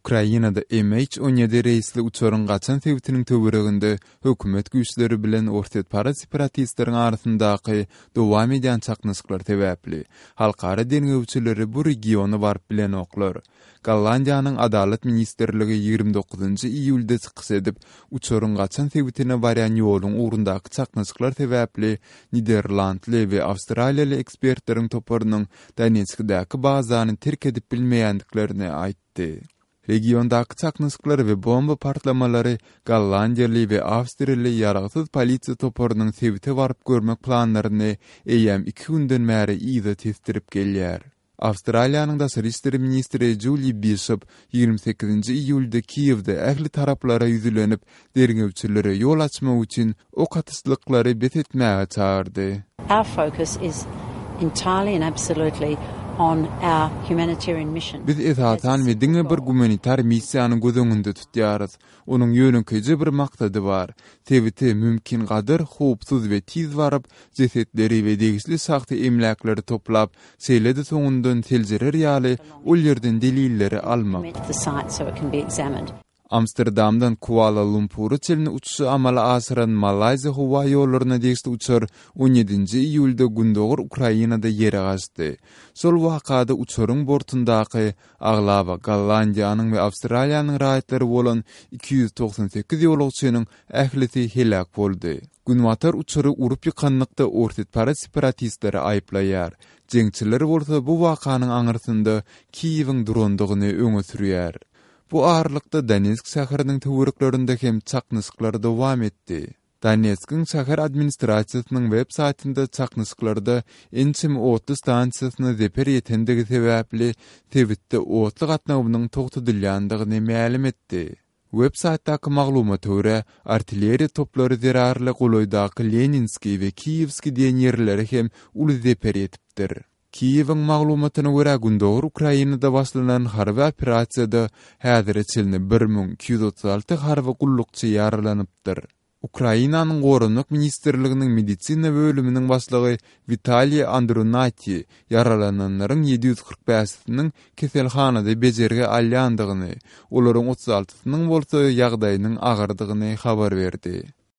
Ukrainada MH 17 reýsli uçaryň gaçan sebitiniň töwereginde hökümet güýçleri bilen orsýetparaz separatistleriň arasyndaky dowam edýän çaknyşyklar sebäpli, halkara derňewçileri bu regiona baryp bilenoklar. Gollandiýanyň Adalat ministrligi 29 iýulda çykyş edip, uçaryň gaçan sebitine barýan ýoluň ugrundaky çaknyşyklar sebäpli niderlandly we awstraliýaly ekspertleriň toparynyň Donetskdäki bazany terk edip bilmeýändiklerini aýtdy. Regiondaky çaknyşyklar we bomba partlamalary gollandiýaly we awstriýaly ýaragsyz polisiýa toparynyň sebite baryp görmek planlaryny eýýäm iki günden bäri yza tesdirip gelýär. Awstraliýanyň daşary işler ministri Juli Bişop 28 iýulda Kiýewde ähli taraplara ýüzlenip, derňewçilere ýol açmak üçin ok atyşlyklary bes etmäge çagyrdy. Our focus is entirely and absolutely on our humanitarian mission. Biz esasan we diňe bir gumanitar missiýany göz öňünde tutýarys. Onuň ýönekeýje bir maksady bar, sebite mümkingadar howpsuz we tiz baryp, jesetleri we degişli şahsy emläkleri toplap, şeýle-de soňundan seljerer ýaly ol ýerden delilleri almak. Amsterdamdan Kuala-Lumpura çenli uçuşy amala aşyran Malaýziýa howa ýollaryna degişli uçar on ýedinji iýulda gündogar Ukrainada ýere gaçdy. Şol wakada uçaryň bortundaky aglaba Gollandiýanyň we Awstraliýanyň raýatlary bolan 298 ýolagçynyň ählisi heläk boldy. Günbatar uçary urup ýykanlykda orsýetparaz separatistleri aýyplaýar. Jeňçiler bolsa bu wakanyň aňyrsynda Kiýewiň durandygyny öňe sürýär. Bu aralykda Donetsk şäheriniň töwereklerinde hem çaknyşyklar dowam etdi. Donetskiň şäher administrasiýasynyň web saýtynda çaknyşyklarda ençeme otly stansiýasyna zeper ýetendigi sebäpli sebitde otly gatnawynyň togtadylýandygyny mälim etdi. Web saýtdaky maglumata görä, artilleriýa toplary zerarly golaýdaky Leninskiý we Kiýewskiý diýen ýerlere hem uly zeper ýetipdir. Kiýewiň maglumatyna görä, gündogar Ukrainada başlanan harby operasiýada häzire çenli 1236 harby gullukçy ýaralanypdyr. Ukrainanyň Goranmak ministrliginiň medisina bölüminiň başlygy Witaliý Andrunati ýaralananlaryň 745-siniň keselhanada bejergi alýandygyny, olaryň 36-synyň bolsa ýagdaýynyň agyrdygyny habar berdi.